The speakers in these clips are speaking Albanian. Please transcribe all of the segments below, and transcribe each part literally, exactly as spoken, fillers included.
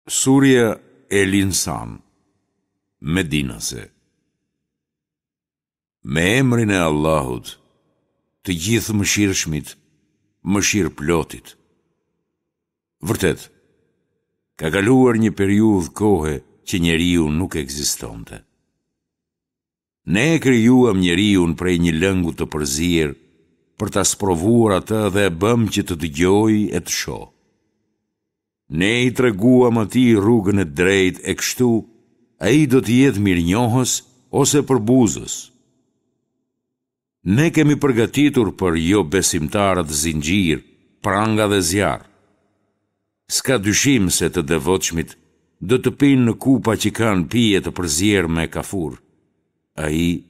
Surja El Insan, Medinase. Me emrin e Allahut, të Gjithëmëshirshmit, mëshirëplotit. Vërtet, ka kaluar një periudhë kohe që njeriu nuk ekzistonte. Ne e krijuam njeriun prej një lëngu të përzier për ta sprovuar atë dhe e bëmë që të dëgjojë e të shohë. Ne i treguam atij rrugën e drejtë e kështu ai do të jetë mirënjohës ose përbuzës. Ne kemi përgatitur për jobesimtarët zinxhirë, pranga dhe zjarr. S'ka dyshim se të devotshmit do të pinë në kupa që kanë pije të përzier me kafur. Ai,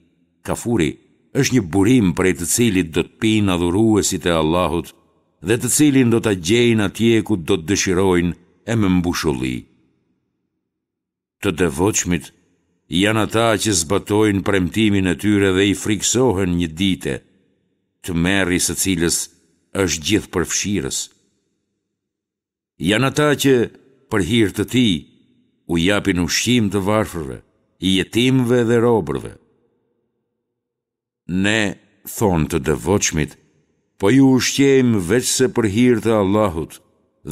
kafuri, është një burim prej të cilit do të pinë adhuruesit e Allahut dhe të cilin do ta gjejnë atje ku do të dëshirojnë e me mbushulli. Të devotshmit janë ata që zbatojnë premtimin e tyre dhe i frikësohen një dite, tmerri i së cilës është gjithëpërfshirës. Janë ata që, për hir të tij, u japin ushqim të varfërve, jetimëve dhe robërve. Ne, thonë të devotshmit, po ju ushqejmë veçse për hir të Allahut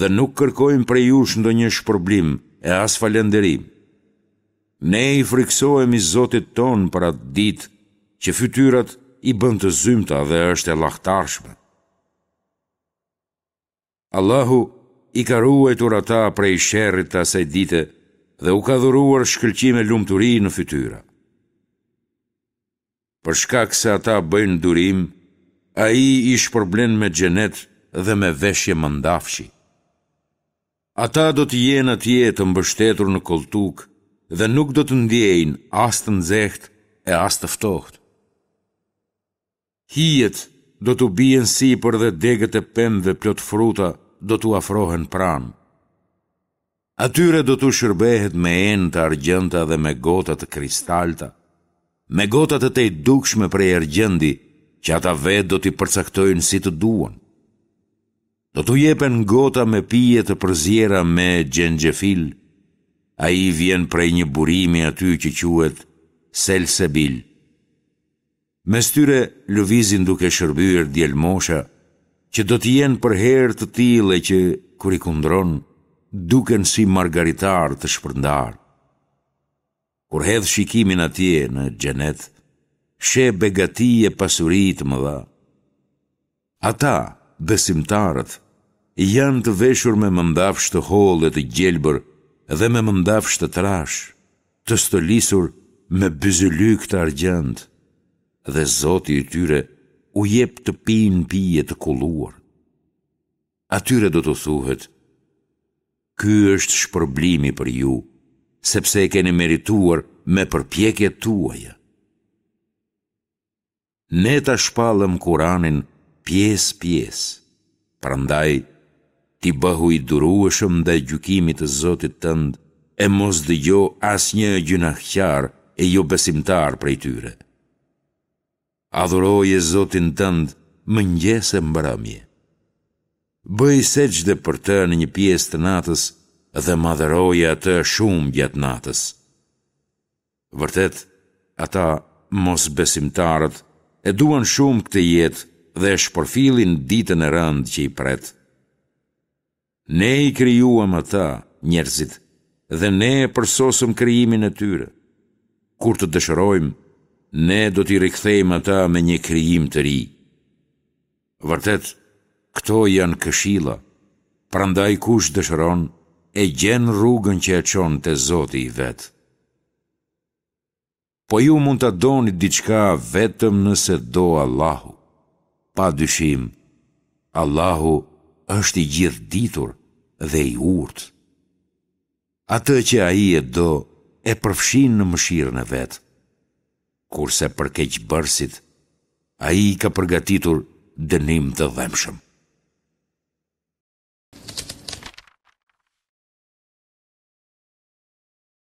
dhe nuk kërkojmë prej jush ndonjë shpërblim e as falënderim. Ne i frikësohemi Zotit tonë për atë ditë që fytyrat i bën të zymta dhe është e llahtarshme. Allahu i ka ruajtur ata prej sherrit të asaj dite dhe u ka dhuruar shkëlqim e lumturi në fytyra. Për shkak se ata bëjnë durim, Ai i shpërblen me xhenet dhe me veshje mëndafshi. Ata do të jenë atje të mbështetur në kolltukë dhe nuk do të ndjejnë as të nxehtë e as të ftohtë. Hijet do t'u bien sipër dhe degët e pemëve plot fruta do t'u afrohen pranë. Atyre do t'u shërbehet me enë të argjendta dhe me gota të kristalta, me gota të tejdukshme prej argjendi që ata vetë do t'i përcaktojnë si të duan. Do t'u jepen gota me pije të përziera me xhenxhefil, ai vjen prej një burimi aty që quhet Selsebil. Mes tyre lëvizin duke shërbyer djelmosha, që do të jenë përherë të tillë e që, kur i kundron, duken si margaritarë të shpërndarë. Kur hedh shikimin atje në xhenet, sheh begati e pasuri të mëdha. Ata, besimtarët, janë të veshur me mëndafsh të hollë e të gjelbër dhe me mëndafsh të trashë, të stolisur me byzylykë të argjendtë, dhe Zoti i tyre u jep të pinë pije të kulluar. Atyre do t'u thuhet, Ky është shpërblimi për ju, sepse e keni merituar me përpjekjet tuaja. Ne ta shpallëm Kuranin pjesë-pjesë, prandaj ti bëhu i durueshëm ndaj gjykimit të Zotit tënd e mos dëgjo asnjë gjynahqar e jobesimtar prej tyre. Adhuroje Zotin tënd mëngjes e mbrëmje. Bëj sexhde për të në një pjesë të natës dhe madhëroje atë shumë gjatë natës. Vërtet, ata, mosbesimtarët, e duan shumë këtë jetë dhe e shpërfillin ditën e rëndë që i pret. Ne i krijuam ata, njerëzit, dhe ne e përsosëm krijimin e tyre. Kur të dëshirojmë, ne do t'i rikthejmë ata me një krijim të ri. Vërtet, këto janë këshilla, prandaj kush dëshiron, e gjen rrugën që e çon te Zoti i vet. Po ju mund ta doni diçka vetëm nëse do Allahu. Pa dyshim, Allahu është i gjithëditur dhe i urtë. Atë që Ai e do, e përfshin në mëshirën e vet. Kurse për keqbërësit, Ai ka përgatitur dënim të dhembshëm.